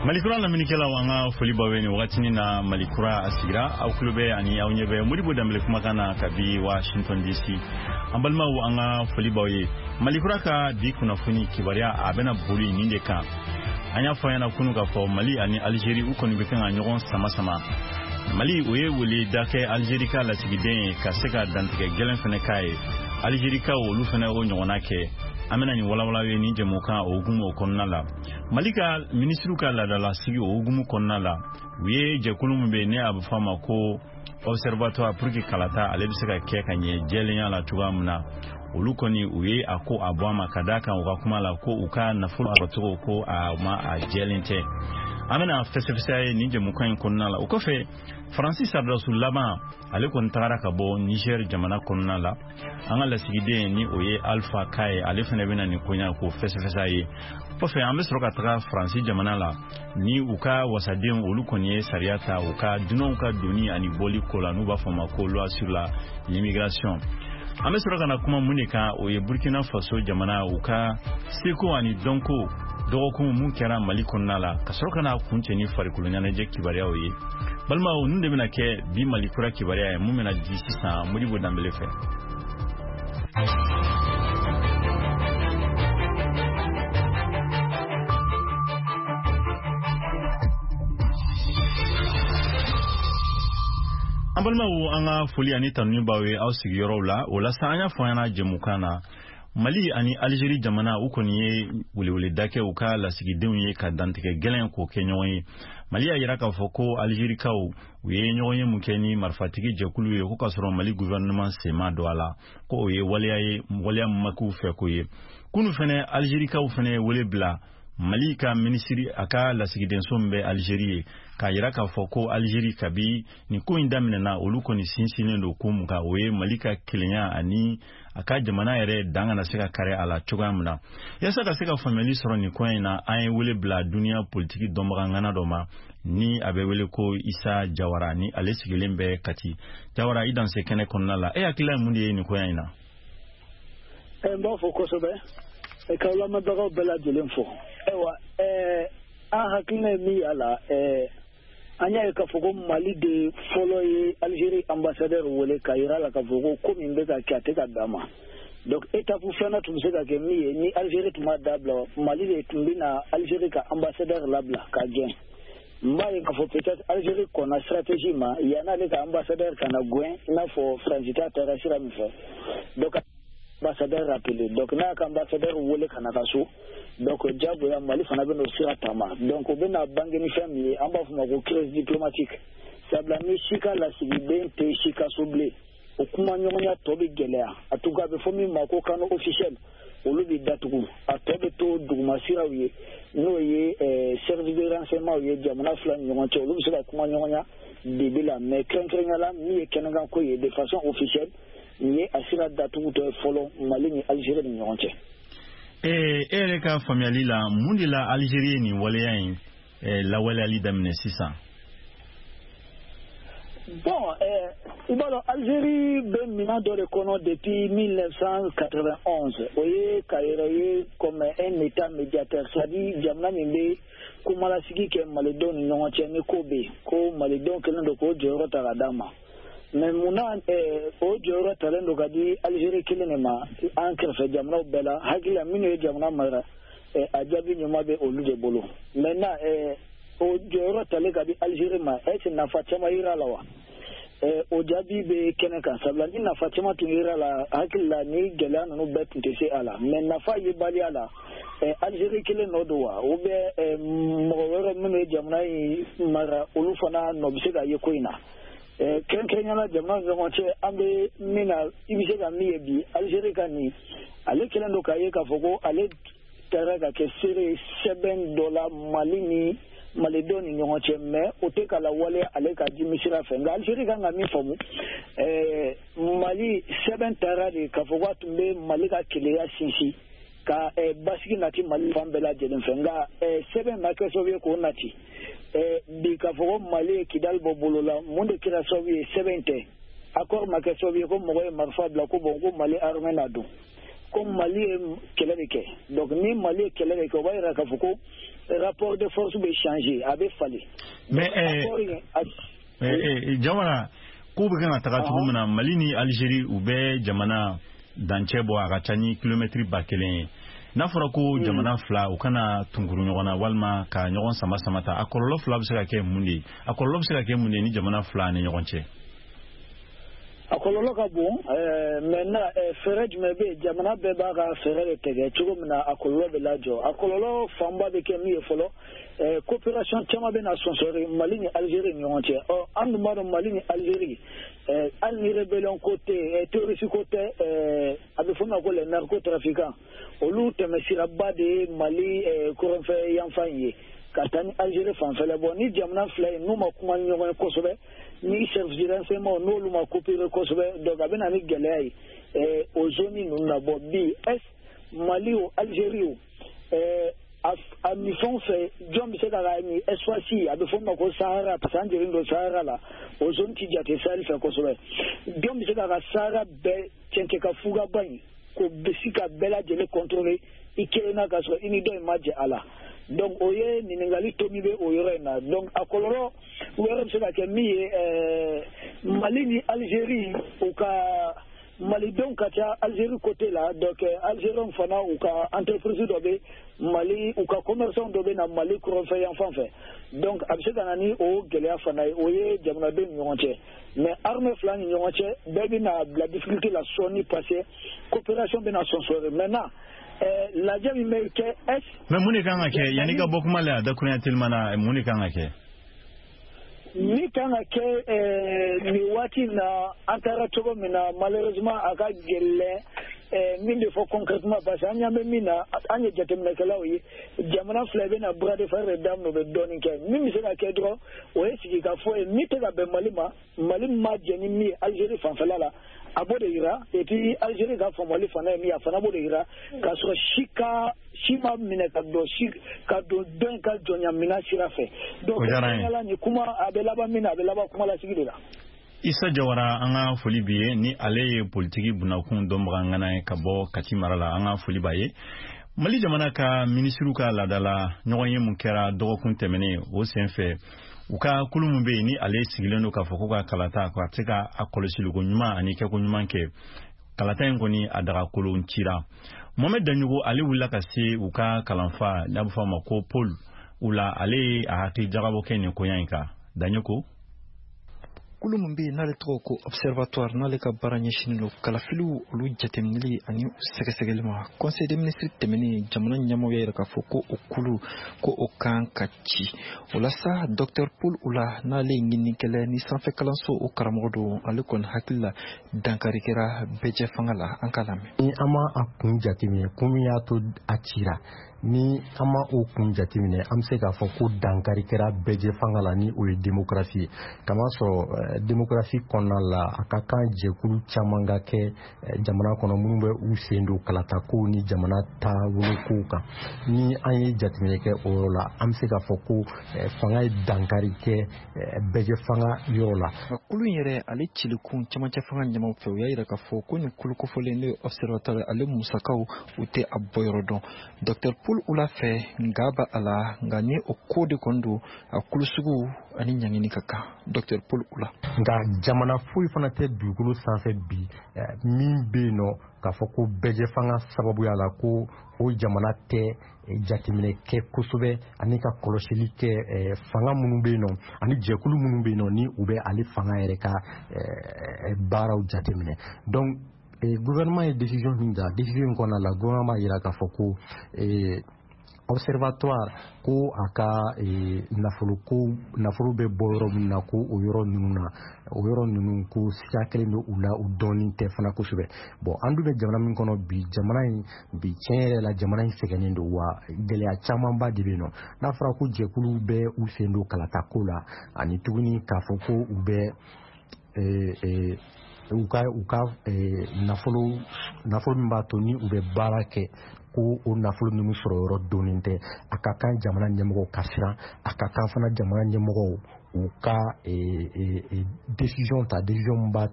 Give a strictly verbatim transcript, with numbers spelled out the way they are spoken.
Malikura laminikɛlaw, an ka foli b'aw ye nin wagatinin na. Malikura a sigira, aw tulo bɛ ani aw ɲɛ bɛ Modibo Danbele kumakan na kabi Washington D C. An balimaw, an ka foli b'aw ye. Malikura ka bi kunnafoni kibaruya, a bɛna boli nin de kan. An y'a fɔ ɲɛna kunu k'a fɔ Mali ani Algérie, u kɔni bɛ kan ka ɲɔgɔn sama sama. Mali o ye wele da kɛ Algérie ka lasigiden ye ka se ka dantigɛ gɛlɛn fɛnɛ k'a ye. Algérikaw, olu fɛnɛ o ɲɔgɔnna kɛ. An bɛna nin walawala ye nin jɛmukan o hukumu o kɔnɔna la. Mali ka minisiriw ka laadalasigi o hukumu kɔnɔna la, u ye jɛkulu min bɛ yen, ne a bɛ fɔ a ma ko Observatoire pour que kalata ale bɛ se ka kɛ ka ɲɛ jɛlenya la cogoya min na, olu kɔni u ye a ko a bɔ a ma, ka d'a kan u ka kuma la ko u ka nafolo sɔrɔcogo ko a ma a jɛlen tɛ. An bɛna fɛsɛfɛsɛ ye nin jɛmukan in kɔnɔna la. O kɔfɛ, Faransi sɔrɔdasi laban, ale kɔni tagara ka bɔ Niger jamana kɔnɔna la. An ka lasigiden, ni o ye Alpha Ka ye, ale fana bɛna nin koɲa k'o fɛsɛfɛsɛ ye. Kɔfɛ, an bɛ sɔrɔ ka taga Faransi jamana la, ni u ka wasadenw, olu kɔni ye sariya ta u ka dunanw ka doni ani bɔli ko la, n'u b'a fɔ ma ko loi sur la l'immigration. An bɛ sɔrɔ ka na kuma mun de kan? O ye Burkina Faso jamana, u ka seko ani dɔnko dɔgɔkun mun kɛra Mali kɔnɔna la, ka sɔrɔ ka na kuncɛ ni farikolo ɲɛnajɛ kibaruyaw ye. Balimaw, ninnu de bɛna kɛ bi Mali kura kibaruya ye, mun bɛna di sisan Modibo Danbele fɛ. An balimaw, an ka foli ani tanuni b'aw ye aw sigiyɔrɔw la. O la sa, an y'a fɔ an ɲɛna jɛmukan na, Mali ani Algérie jamana, u kɔni ye weleweleda kɛ u ka lasigidenw ye ka dantigɛ gɛlɛn k'o kɛ ɲɔgɔn ye. Mali y'a yira k'a fɔ ko Algérikaw, u ye ɲɔgɔn ye mun kɛ ni marifatigi jɛkulu ye, ko k'a sɔrɔ Mali gouvernement sen ma don a la, ko o ye waleya ye, waleya min ma k'u fɛ ko ye. Kunu fɛnɛ, Algérikaw fɛnɛ ye wele bila Mali ka minisiri, a ka lasigidenso min bɛ Algérie ye, k'a yira k'a fɔ ko Algérie, kabi nin ko in daminɛna, olu kɔni sinsinnen don ko mun kan? O ye Mali ka kelenya ani a ka jamana yɛrɛ dan kana se ka kari a la cogoya min na. Yaasa ka se ka faamuyali sɔrɔ nin ko in na, an ye wele bila duniya politiki dɔnbaga ŋana dɔ ma, ni a bɛ wele ko Isa Jawara, ni ale sigilen bɛ Kati. Jawara, i danse kɛnɛ kɔnɔna la. E hakilila ye mun de ye nin koya in na? N b'a fɔ kosɛbɛ k'aw lamɛnbagaw bɛɛ lajɛlen fo. Ayiwa, an hakilina ye min y'a la, an y'a ye k'a fɔ ko Mali de fɔlɔ ye Algérie ambassadeur wele k'a yira la k'a fɔ ko ko min bɛ ka kɛ, a tɛ ka bɛn a ma. Donc étape filanan tun bɛ se ka kɛ min ye, ni Algérie tun b'a dabila, Mali de tun bɛ na Algérie ka ambassadeur labila ka gɛn. N b'a ye k'a fɔ peut-être Algérie kɔnna stratégie ma yann'ale ka ambassadeur ka na gɛn, i n'a fɔ Faransi ta taara sira min fɛ. Donc ambassadeur rappelé, donc n'a ka ambassadeur wele ka na ka so, donc diyagoya Mali fana bɛ n'o sira taama. Donc o bɛna bange ni fɛn min ye, an b'a fɔ o ma ko crise diplomatique. Sabula ni si ka lasigiden tɛ si ka so bilen, o kuma ɲɔgɔnya tɔ bɛ gɛlɛya. A tout cas, a bɛ fɔ min ma ko canaux officiel, olu bɛ datugu, a tɔ bɛ to duguma siraw ye, n'o ye service de renseignement ye jamana fila ni ɲɔgɔn cɛ, olu bɛ se ka kuma ɲɔgɔnya dibi la. Mais kɛrɛnkɛrɛnnenya la, min ye kɛnɛkanko ye de façon officielle, nin ye a sira datugutɔ ye fɔlɔ Mali ni Algérie ni ɲɔgɔn cɛ. E yɛrɛ ka faamuyali la, mun de la Algérie ye nin waleya in lawaleyali daminɛ sisan? Bon, i b'a dɔn, Algérie bɛ minɛn dɔ de kɔnɔ depuis mille neuf cent quatre-vingt-onze. O ye ka yɛrɛ ye comme un état médiateur, c'est-à-dire jamana min bɛ kumalasigi kɛ malidenw ni ɲɔgɔn cɛ ni ko bɛ yen, ko malidenw kɛlen don k'o jɔyɔrɔ ta ka d'a ma. Mais munna o jɔyɔrɔ talen don ka di Algérie kelen de ma an kɛrɛfɛ jamanaw bɛɛ la? Hakili la, minnu ye jamana mara, a jaabi ɲuman bɛ olu de bolo. Maintenant, o jɔyɔrɔ talen ka di Algérie ma, est ce nafa caman yira la wa? O jaabi bɛ kɛnɛ kan. Sabula ni nafa caman tun yira la, hakili la, ni gɛlɛya ninnu bɛɛ tun tɛ se a la. Mais nafa yebaliya la, Algérie kelen nɔ don wa, ou bien mɔgɔ wɛrɛ minnu ye jamana in mara, olu fana nɔ bɛ se ka ye ko in na? Kɛrɛnkɛrɛnnenya la, jamana ni ɲɔgɔn cɛ, an bɛ min na, i bɛ se ka min ye bi, Algérie ka nin, ale kɛlen don k'a ye k'a fɔ ko ale taara ka kɛ seere sɛbɛn dɔ la Mali ni malidenw ni ɲɔgɔn cɛ, mais o tɛ ka lawaleya ale ka dimi sira fɛ. Nka Algérie kan ka min faamu, Mali sɛbɛn taara de k'a fɔ k'a tun bɛ Mali ka kelenya sinsin, ka basigi nati Mali fan bɛɛ lajɛlen fɛ. Nka sɛbɛn ma kɛ sababu ye k'o nati. Bi, k'a fɔ ko Mali ye Kidali bɔ bolo la, mun de kɛra sababu ye? Sɛbɛn tɛ. Accord ma kɛ sababu ye ko mɔgɔ ye marifa bila ko bon, ko Mali armée na don. Ko Mali ye kɛlɛ de kɛ. Donc ni Mali ye kɛlɛ de kɛ, o b'a yira k'a fɔ ko rapport de force bɛ changer, a bɛ falen. Mais Jawara, ko bɛ kan ka taga cogo min na, Mali ni Algérie, u bɛ jamana dancɛ bɔ, a ka ca ni kilomɛtiri ba kelen ye. N'a fɔra ko jamana fila u kana tunkuru ɲɔgɔn na walima ka ɲɔgɔn sama sama ta, a kɔlɔlɔ fila bɛ se ka kɛ mun de ye? A kɔlɔlɔ bɛ se ka kɛ mun de ye ni jamana fila ni ɲɔgɔn cɛ? A kɔlɔlɔ ka bon. Maintenant, fɛɛrɛ jumɛn bɛ yen? Jamana bɛɛ b'a ka fɛɛrɛ de tigɛ cogo min na a kɔlɔlɔ bɛ lajɔ. A kɔlɔlɔ fanba bɛ kɛ min ye fɔlɔ, coopération caman bɛ na sɔnsɔri Mali ni Algérie ni ɲɔgɔn cɛ. Ɔ, an dun b'a dɔn, Mali ni Algérie, hali ni rébellion ko tɛ, terroriste ko tɛ, a bɛ fɔ min ma ko les narcotrafiquants, olu tɛmɛsiraba de ye Mali kɔrɔnfɛ yanfan in ye ka taa ni Algérie fanfɛla. Bɔ ni jamana fila in n'u ma kuma ni ɲɔgɔn ye kosɛbɛ, ni service de renseignement n'olu ma coopérer kosɛbɛ, donc a bɛ na ni gɛlɛya ye o zone ninnu na. Bɔ bi, est Mali o, Algérie o, a min fɛn fɛ, jɔn bɛ se ka ka nin espace, a bɛ fɔ min ma ko Sahara, parce que an jɔlen don Sahara la, o zone ti jate Sahel fɛ kosɛbɛ, jɔn bɛ se ka ka Sahara bɛɛ cɛncɛn ka fugaba in k'o bɛ se ka bɛɛ lajɛlen contrôler i kelen na, k'a sɔrɔ i ni dɔ in ma jɛ a la? Donc o ye ɲininkali to min bɛ o yɔrɔ in na. Donc a kɔlɔlɔ wɛrɛ bɛ se ka kɛ min ye, Mali ni Algérie, u ka malidenw ka ca Algérie côté la. Donc Algériens fana, u ka entreprise dɔ bɛ Mali, u ka commerçant dɔ bɛ na Mali kɔrɔnfɛ yan fan fɛ. Donc a bɛ se ka na ni o gɛlɛya fana ye. O ye jamanadenw ni ɲɔgɔn cɛ. Mais armée fila ni ɲɔgɔn cɛ, bɛɛ bɛna bila difficulté la sɔɔni, parce que coopération bɛna sɔnsɔri. Maintenant, lajɛ min bɛ kɛ est Mais mun de kan ka kɛ yanni ka bɔ kuma la, a dakurunya telima na, mun de kan ka kɛ? Min kan ka kɛ nin waati in na, an taara cogo min na, malheureusement a ka gɛlɛn min de fɔ concrètement, parce que an ɲɛ bɛ min na, an ye jateminɛkɛlaw ye, jamana fila bɛna bras de fer de daminɛ, u bɛ dɔɔnin kɛ. Min bɛ se ka kɛ dɔrɔn, o ye sigikafɔ ye. Min tɛ ka bɛn Mali ma, Mali ma jɛn ni min ye Algérie fanfɛla la, a b'o de yira. Et puis Algérie ka faamuyali fana ye min ye, a fana b'o de yira, k'a sɔrɔ si ka si ma minɛ ka don si ka don dɔ in ka jɔnya minɛn sira fɛ. Donc nin kuma a bɛ laban min na, a bɛ laban kuma lasigi de la. Isa Jawara, an ka foli b'i ye. Ni ale ye politiki bunakun dɔnbaga ŋana ye ka bɔ Kati mara la, an ka foli b'a ye. Mali jamana ka minisiriw ka laadala ɲɔgɔn ye mun kɛra dɔgɔkun tɛmɛnen, o sen fɛ, u ka kulu min bɛ yen ni ale sigilen don k'a fɔ ko ka kalata ka se ka a kɔlɔsiliko ɲuman ani kɛko ɲuman kɛ, kalata in kɔni a dagakolon cira. Mohamed Daɲogo, ale wulila ka se u ka kalanfa n'a bɛ fɔ a ma ko Paul Oula, ale ye a hakili jagabɔ kɛ nin koɲa in kan. Daɲogo. Kulu min bɛ yen n'ale tɔgɔ ko Observatoire, n'ale ka baara ɲɛsinnen don kalafiliw olu jateminɛli ani sɛgɛsɛgɛli ma, conseil des ministres tɛmɛnen, jamana ɲɛmɔgɔ y'a yira k'a fɔ ko o kulu ko o kan ka ci. O la sa, docteur Paul Oula, n'ale ye ɲininikɛla ni sanfɛ kalanso o karamɔgɔ don, ale kɔni hakili la, dankari kɛra bɛɛjɛ fanga la. An k'a lamɛn. Ni an ma a kun jateminɛ, kun min y'a to a cira, ni an ma o kun jateminɛ, an bɛ se k'a fɔ ko dankari kɛra bɛɛjɛ fanga la, ni o ye démocratie ye. Kamasɔrɔ démocratie kɔnɔna la, a ka kan jɛkulu caman ka kɛ jamana kɔnɔ minnu bɛ u sen don kalatakow ni jamana taabolokow kan. Ni an ye jateminɛ kɛ o yɔrɔ la, an bɛ se k'a fɔ ko fanga ye dankari kɛ bɛɛjɛ fanga yɔrɔ la. Kulu in yɛrɛ, ale cilikun camancɛ fanga ɲɛmaw fɛ, u y'a yira k'a fɔ ko nin kulu kofɔlen, n'o ye Observatoire, ale musakaw u tɛ a bɔyɔrɔ dɔn. Docteur Paul Oula fɛ, nka ba a la, nka ni o ko de kɔni don, a kulu sugu ani ɲangini ka kan. Docteur Paul Oula. Nka jamana foyi fana tɛ dugukolo sanfɛ bi min bɛ yen nɔ k'a fɔ ko bɛɛjɛ fanga sababuya la ko o jamana tɛ jateminɛ kɛ kosɛbɛ ani ka kɔlɔsili kɛ fanga minnu bɛ yen nɔ ani jɛkulu minnu bɛ yen nɔ ni u bɛ ale fanga yɛrɛ ka baaraw jateminɛ. Donc gouvernement ye décision min ta, décision in kɔnɔna la, gouvernement b'a jira k'a fɔ ko Observatoire ko a ka nafolo ko nafolo bɛ bɔ yɔrɔ min na, ko o yɔrɔ ninnu na, o yɔrɔ ninnu ko siga kelen bɛ u la, u dɔɔnin tɛ fana kosɛbɛ. Bon, an dun bɛ jamana min kɔnɔ bi, jamana in bi, tiɲɛ yɛrɛ la, jamana in sɛgɛnnen don wa gɛlɛya camanba de bɛ yen nɔ. N'a fɔra ko jɛkulu bɛ u sen don kalatako la ani tuguni k'a fɔ ko u bɛ u ka u ka nafolo nafolo min b'a to ni u bɛ baara kɛ, ko o nafolo ninnu sɔrɔ yɔrɔ donnen tɛ, a ka kan jamana ɲɛmɔgɔw ka siran. A ka kan fana jamana ɲɛmɔgɔw u ka décision ta, décision min b'a